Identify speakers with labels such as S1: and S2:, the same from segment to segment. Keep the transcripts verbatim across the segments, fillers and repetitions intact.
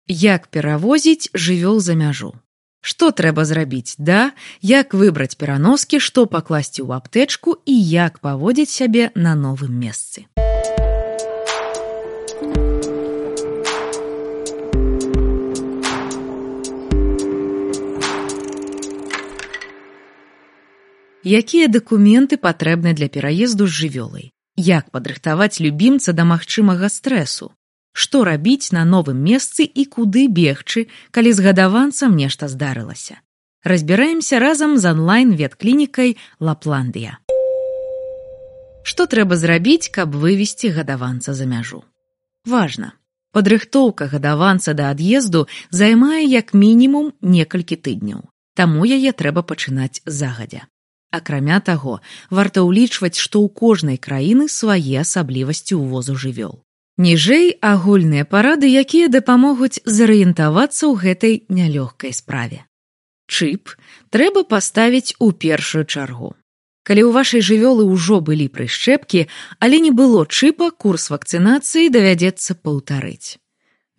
S1: Як перавозіць жывёл за мяжу? Што трэба зрабіць, да? Як выбраць пераноскі, што пакласці ў аптэчку і як паводзіць сябе на новым месцы? Якія дакументы патрэбны для пераезду з жывёлай? Як падрыхтаваць любімца да магчымага стрэсу? Што рабіць на новым месцы і куды бегчы, калі з гадаванцам нешта здарылася? Разбіраемся разам з онлайн-ветклінікай Лапландыя. Што трэба зрабіць, каб вывесці гадаванца за мяжу? Важна. Падрыхтоўка гадаванца да ад'езду займае як мінімум некалькі тыдняў, таму яе трэба пачынаць загадзя. Акрамя таго, варта ўлічваць, што ў кожнай краіны свае асаблівасці ўвозу жывёл. Ніжэй агульныя парады, якія дапамогуць зарыентавацца ў гэтай нялёгкай справе. Чып трэба паставіць у першую чаргу. Калі ў вашай жывёлы ўжо былі прышчэпкі, але не было чыпа, курс вакцынацыі давядзецца паўтарыць.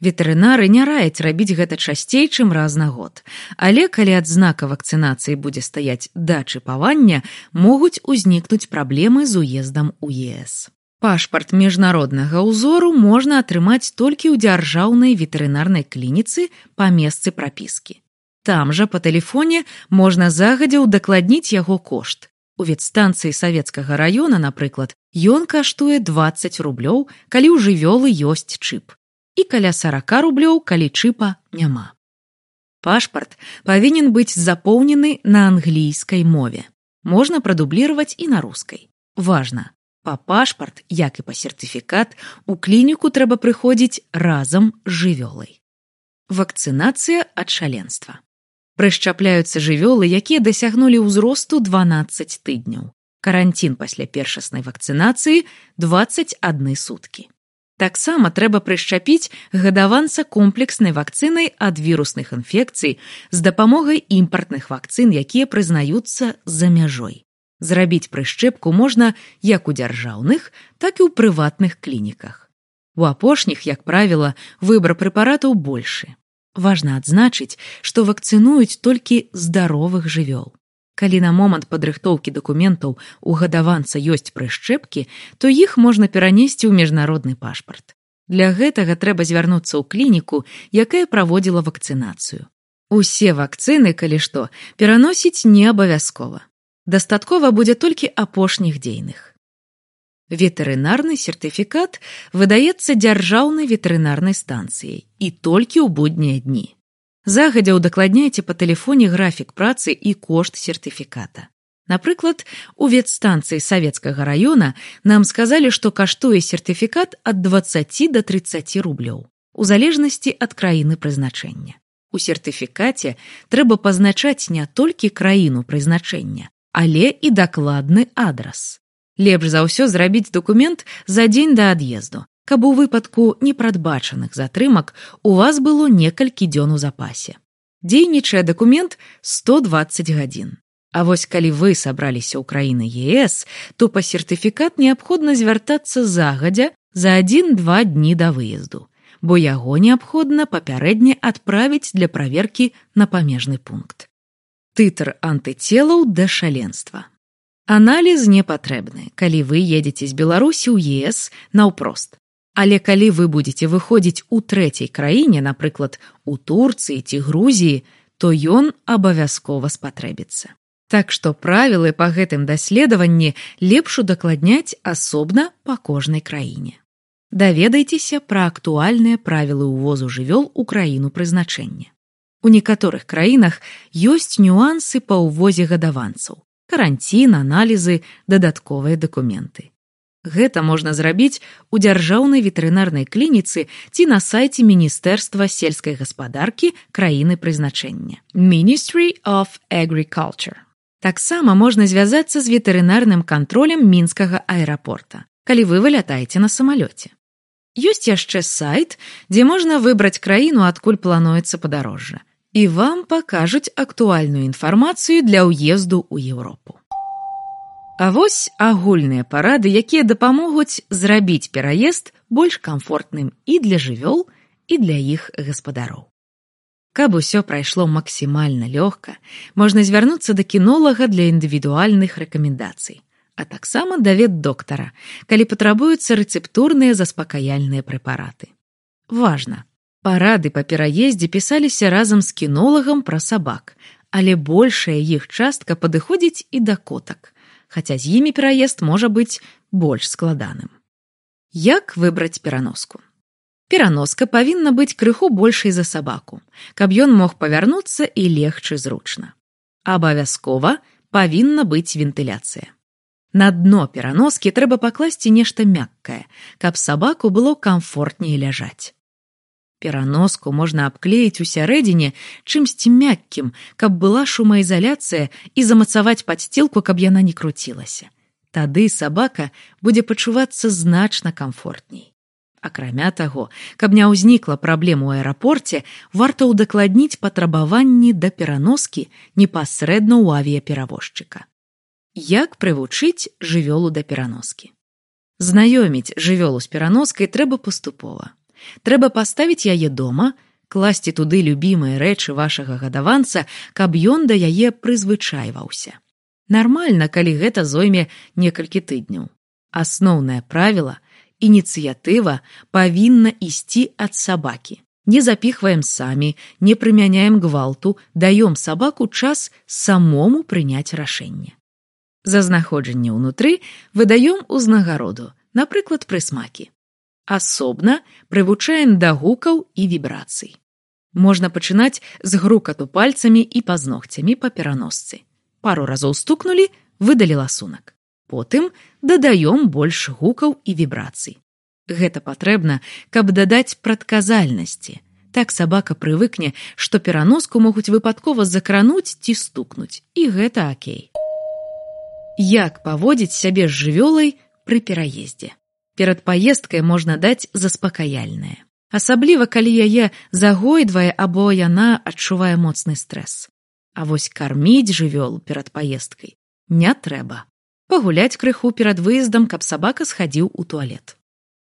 S1: Ветэрынары не раяць рабіць гэта часцей, чым раз на год, але калі ад знака вакцынацыі будзе стаяць да чыпавання, могуць узнікнуць праблемы з уездам у е эс. Пашпарт міжнароднага ўзору можна атрымаць толькі ў дзяржаўнай ветэрынарнай клініцы па месцы прапіскі. Там жа па тэлефоне можна загадзя ўдакладніць яго кошт. У ветстанцыі савецкага раёна, напрыклад, ён каштуе дваццаць рублёў, калі ў жывёлы ёсць чып, і каля сорок рублёў, калі чыпа няма. Пашпарт павінен быць запоўнены на англійскай мове. Можна прадубліраваць і на рускай. Важна. Па пашпарт, як і па сертыфікат, у клініку трэба прыходзіць разам з жывёлай. Вакцынацыя ад шаленства. Прышчапляюцца жывёлы, якія дасягнулі ўзросту дванаццаць тыдняў. Каранцін пасля першаснай вакцынацыі дваццаць адны суткі. Таксама трэба прышчапіць гадаванца комплекснай вакцынай ад вірусных інфекцый з дапамогай імпартных вакцын, якія прызнаюцца за мяжой. Зрабіць прышчэпку можна як у дзяржаўных, так і ў прыватных клініках. У апошніх, як правіла, выбар прэпаратаў большы. Важна адзначыць, што вакцынуюць толькі здаровых жывёл. Калі на момант падрыхтоўкі дакументаў у гадаванца ёсць прышчэпкі, то іх можна перанесці ў міжнародны пашпарт. Для гэтага трэба звярнуцца ў клініку, якая праводзіла вакцынацыю. Усе вакцыны, калі што, пераносіць не абавязкова. Дастаткова будзе толькі апошніх дзейных. Ветэрынарны сертыфікат выдаецца дзяржаўнай ветэрынарнай станцыяй і толькі ў буднія дні. Загадзя ўдакладняйце па тэлефоне графік працы і кошт сертыфіката. Напрыклад, у ветстанцыі савецкага раёна нам сказалі, што каштуе сертыфікат ад дваццаці да трыццаці рублёў, у залежнасці ад краіны прызначэння. У сертыфікаце трэба пазначаць не толькі краіну прызначэння, але і дакладны адрас. Лепш за ўсё зрабіць дакумент за дзень да ад'езду, каб у выпадку непрадбачаных затрымак у вас было некалькі дзён у запасе. Дзейнічае дакумент сто дваццаць гадзін. А вось калі вы сабраліся ў краіны е эс, то па сертыфікат неабходна звяртацца загадзя за адзін-два дні да выезду, бо яго неабходна папярэдне адправіць для праверкі на памежны пункт. Тытр антыцелаў да шаленства. Аналіз не патрэбны, калі вы едзеце з Беларусі ў е эс наўпрост. Але калі вы будзеце выходзіць у трэцяй краіне, напрыклад, у Турцыі ці Грузіі, то ён абавязкова спатрэбіцца. Так што правілы па гэтым даследаванні лепш удакладняць асобна па кожнай краіне. Даведайцеся пра актуальныя правілы ўвозу жывёл у краіну прызначэння. У некаторых краінах ёсць нюансы па ўвозе гадаванцаў, каранцін, аналізы, дадатковыя дакументы. Гэта можна зрабіць у дзяржаўнай ветэрынарнай клініцы ці на сайце Міністэрства сельскай гаспадаркі краіны прызначэння Ministry of Agriculture. Таксама можна звязацца з ветэрынарным кантролем мінскага аэрапорта, калі вы вылятаеце на самалёце. Ёсць яшчэ сайт, дзе можна выбраць краіну, адкуль плануецца падарожжа, і вам пакажуць актуальную інфармацыю для ўезду ў Еўропу. А вось агульныя парады, якія дапамогуць зрабіць пераезд больш камфортным і для жывёл, і для іх гаспадароў. Каб усё прайшло максімальна лёгка, можна звярнуцца да кінолага для індывідуальных рэкамендацый, а таксама да ветдоктара, калі патрабуюцца рэцэптурныя заспакаяльныя прэпараты. Важна, парады па пераездзе пісаліся разам з кінолагам пра сабак, але большая іх частка падыходзіць і да котак, хаця з імі пераезд можа быць больш складаным. Як выбраць пераноску? Пераноска павінна быць крыху большай за сабаку, каб ён мог павярнуцца і легчы зручна. Абавязкова павінна быць вентыляцыя. На дно пераноскі трэба пакласці нешта мяккае, каб сабаку было камфортней ляжаць. Пераноску можна абклеіць усярэдзіне чымсьці мяккім, каб была шумаізаляцыя і замацаваць падсцілку, каб яна не круцілася. Тады сабака будзе пачувацца значна камфортней. Акрамя таго, каб не ўзнікла праблем у аэрапорце, варта ўдакладніць патрабаванні да пераноскі непасрэдна ў авіяперавозчыка. Як прывучыць жывёлу да пераноскі? Знаёміць жывёлу з пераноскай трэба паступова. Трэба паставіць яе дома, класці туды любімыя рэчы вашага гадаванца, каб ён да яе прызвычайваўся. Нармальна, калі гэта зойме некалькі тыдняў. Асноўнае правіла – ініцыятыва павінна ісці ад сабакі. Не запіхваем самі, не прымяняем гвалту, даём сабаку час самому прыняць рашэнне. За знаходжанне ўнутры выдаём узнагароду, напрыклад, прысмакі. Асобна прывучаем да гукаў і вібрацый. Можна пачынаць з грукату пальцамі і пазногцямі па пераносцы. Пару разоў стукнулі, выдалі ласунак. Потым дадаём больш гукаў і вібрацый. Гэта патрэбна, каб дадаць прадказальнасці. Так сабака прывыкне, што пераноску могуць выпадкова закрануць ці стукнуць, і гэта акей. Як паводзіць сябе з жывёлай пры пераездзе? Перад паездкай можна даць заспакаяльнае. Асабліва, калі яе загойдвае або яна адчувае моцны стрэс. А вось карміць жывёлу перад паездкай не трэба. Пагуляць крыху перад выездам, каб сабака схадзіў у туалет.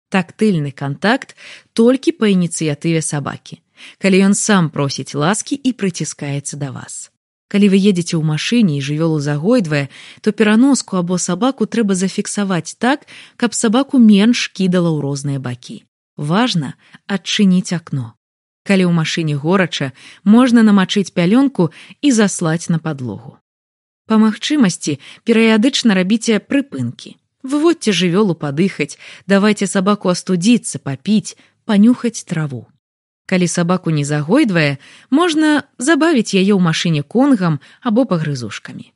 S1: Тактыльны кантакт толькі па ініцыятыве сабакі, калі ён сам просіць ласкі і прыціскаецца да вас. Калі вы едзеце ў машыне і жывёлу загойдвае, то пераноску або сабаку трэба зафіксаваць так, каб сабаку менш кідала ў розныя бакі. Важна адчыніць акно. Калі ў машыне горача, можна намачыць пялёнку і заслаць на падлогу. Па магчымасці перыядычна рабіце прыпынкі. Выводзьце жывёлу падыхаць, давайце сабаку астудзіцца, папіць, панюхаць траву. Калі сабаку не загойдвае, можна забавіць яе ў машыне конгам або пагрызушкамі.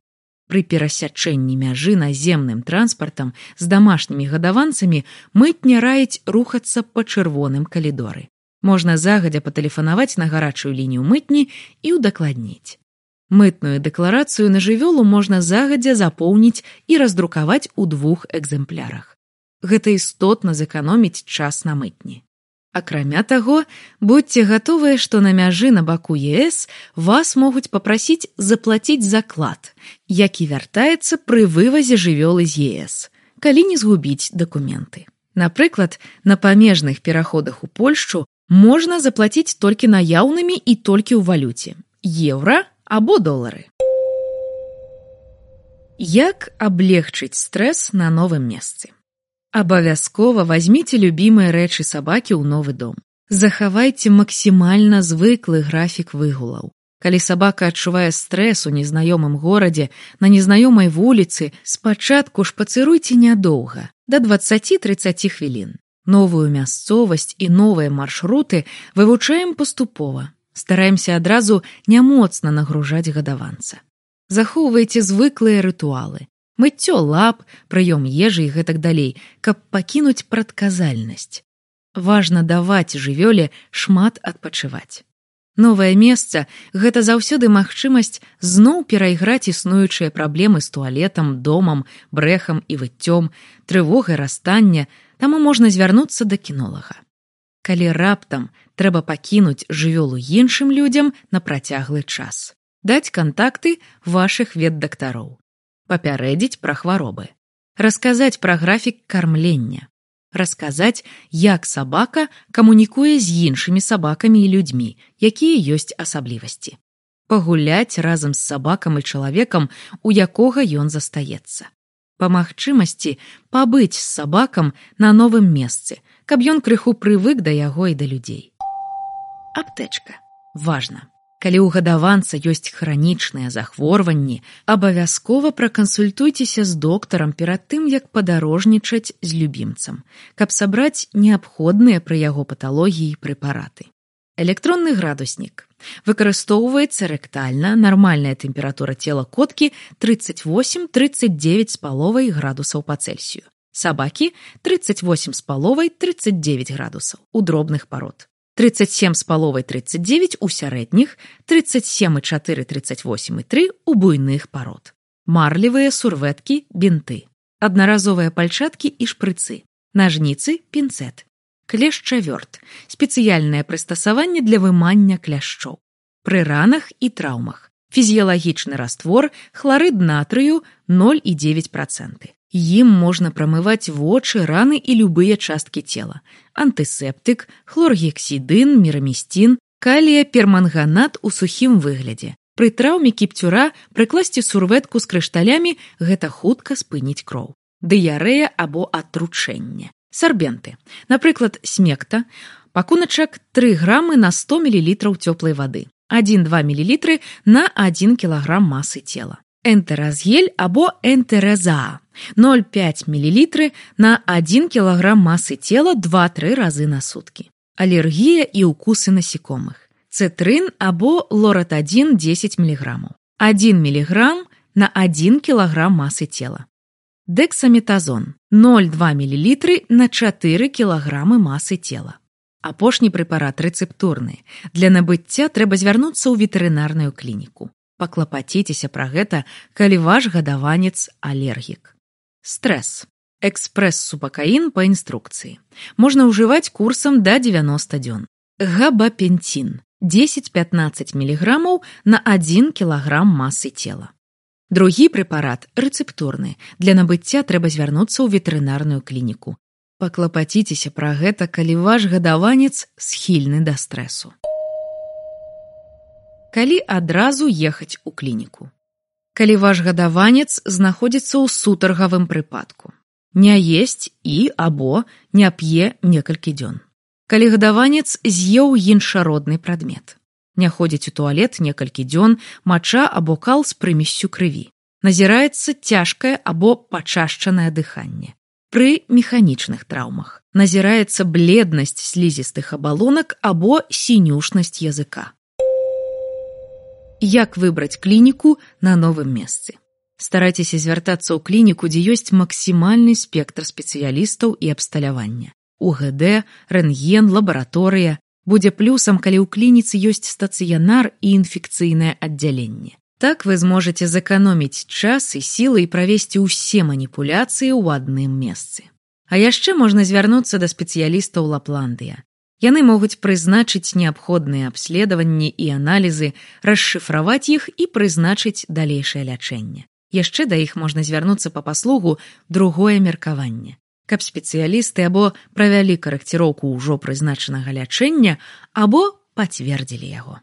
S1: Пры перасячэнні мяжы наземным транспартам з дамашнімі гадаванцамі мытня раіць рухацца па чырвоным калідоры. Можна загадзя патэлефанаваць на гарачую лінію мытні і ўдакладніць. Мытную дэкларацыю на жывёлу можна загадзя запоўніць і раздрукаваць у двух экзэмплярах. Гэта істотна зэканоміць час на мытні. Акрамя таго, будзьце гатовыя, што на мяжы на баку ЕС вас могуць папрасіць заплаціць заклад, які вяртаецца пры вывазе жывёлы з ЕС, калі не згубіць дакументы. Напрыклад, на памежных пераходах у Польшчу можна заплаціць толькі наяўнымі і толькі ў валюце – еўра або долары. Як аблегчыць стрэс на новым месцы? Абавязкова вазьміце любімыя рэчы сабакі ў новы дом. Захавайце максімальна звыклы графік выгулаў. Калі сабака адчувае стрэс у незнаёмым горадзе, на незнаёмай вуліцы, спачатку шпацыруйце нядоўга, да дваццаці-трыццаці хвілін. Новую мясцовасць і новыя маршруты вывучаем паступова. Стараемся адразу нямоцна нагружаць гадаванца. Захоўвайце звыклыя рытуалы. Мыццё лап, прыём ежы і гэтак далей, каб пакінуць прадказальнасць. Важна даваць жывёле шмат адпачываць. Новае месца – гэта заўсёды магчымасць зноў перайграць існуючыя праблемы з туалетам, домам, брэхам і выццём, трывогай расстання, таму можна звярнуцца да кінолага. Калі раптам трэба пакінуць жывёлу іншым людзям на працяглы час. Даць кантакты вашых ветдактароў. Папярэдзіць пра хваробы. Расказаць пра графік кармлення. Расказаць, як сабака камунікуе з іншымі сабакамі і людзьмі, якія ёсць асаблівасці. Пагуляць разам з сабакам і чалавекам, у якога ён застаецца. Па магчымасці пабыць з сабакам на новым месцы, каб ён крыху прывык да яго і да людзей. Аптэчка. Важна. Калі ў гадаванца ёсць хранічныя захворванні, абавязкова пракансультуйцеся з доктарам перад тым, як падарожнічаць з любімцам, каб сабраць неабходныя пры яго паталогіі прэпараты. Электронны градуснік. Выкарыстоўваецца рэктальна, нармальная тэмпература цела коткі тридцать восемь - тридцать девять з паловай градусаў па Цельсію. Сабакі тридцать восемь з паловай - тридцать девять градусаў у дробных парод. тридцать семь з паловай - тридцать девять у сярэдніх, тридцать семь и четыре - тридцать восемь и три у буйных парод. Марлевыя сурвэткі, бінты. Аднаразовыя пальчаткі і шпрыцы. Нажніцы, пінцэт. Клешчавёрт – спецыяльнае прыстасаванне для вымання кляшчоў. Пры ранах і траўмах. Фізіялагічны раствор, хларыд натрыю ноль і дзевяць працэнтаў. Ім можна прамываць вочы, раны і любыя часткі цела. Антысептык, хлоргексідын, мірамістін, калія-перманганат у сухім выглядзе. Пры траўме кіпцюра прыкласці сурвэтку з крышталямі – гэта хутка спыніць кроў. Дыярэя або атручэнне. Сарбенты. Напрыклад, смекта. Пакуначак тры грамы на сто мілілітраў цёплай вады. адзін-два мілілітры на адзін кілаграм масы цела. Энтэразгель або энтэразаа. ноль цэлых пяць мілілітры на адзін кілаграм масы цела два-тры разы на суткі. Алергія і укусы насекомых. Цытрын або лоратадзін дзесяць міліграмаў. адзін міліграм на адзін кілаграм масы цела. Дексаметазон ноль цэлых два мілілітры на чатыры кілаграмы масы цела. Апошні прэпарат рэцэптурны. Для набыцця трэба звярнуцца ў ветэрынарную клініку. Паклапаціцеся пра гэта, калі ваш гадаванец алергік. Стрэс. Экспрэс-супакаін па інструкцыі. Можна ўжываць курсам да дзевяноста дзён. Габапенцін дзесяць-пятнаццаць міліграмаў на адзін кілаграм масы цела. Другі прэпарат рэцэптурны. Для набыцця трэба звярнуцца ў ветэрынарную клініку. Паклапаціцеся пра гэта, калі ваш гадаванец схільны да стрэсу. Калі адразу ехаць у клініку. Калі ваш гадаванец знаходзіцца ў сутаргавым прыпадку. Не есць і або не п'е некалькі дзён. Калі гадаванец з'еў іншародны прадмет. Не ходзіць у туалет некалькі дзён, мача або кал з прымессю крыві. Назіраецца цяжкае або пачашчанае дыханне. Пры механічных траўмах назіраецца бледнасць слізістых абалонак або сінюшнасць языка. Як выбраць клініку на новым месцы? Старайцеся звяртацца ў клініку, дзе ёсць максімальны спектр спецыялістаў і абсталявання. У гэ дэ, рэнтген, лабараторыя. Будзе плюсам, калі ў клініцы ёсць стацыянар і інфекцыйнае аддзяленне. Так вы зможаце зэканоміць час і сілы і правесці ўсе маніпуляцыі ў адным месцы. А яшчэ можна звярнуцца да спецыялістаў Лапландыя. Яны могуць прызначыць неабходныя абследаванні і аналізы, расшыфраваць іх і прызначыць далейшае лячэнне. Яшчэ да іх можна звярнуцца па паслугу другое меркаванне. Каб спецыялісты або правялі карэкціроўку ўжо прызначанага лячэння, або пацвердзілі яго.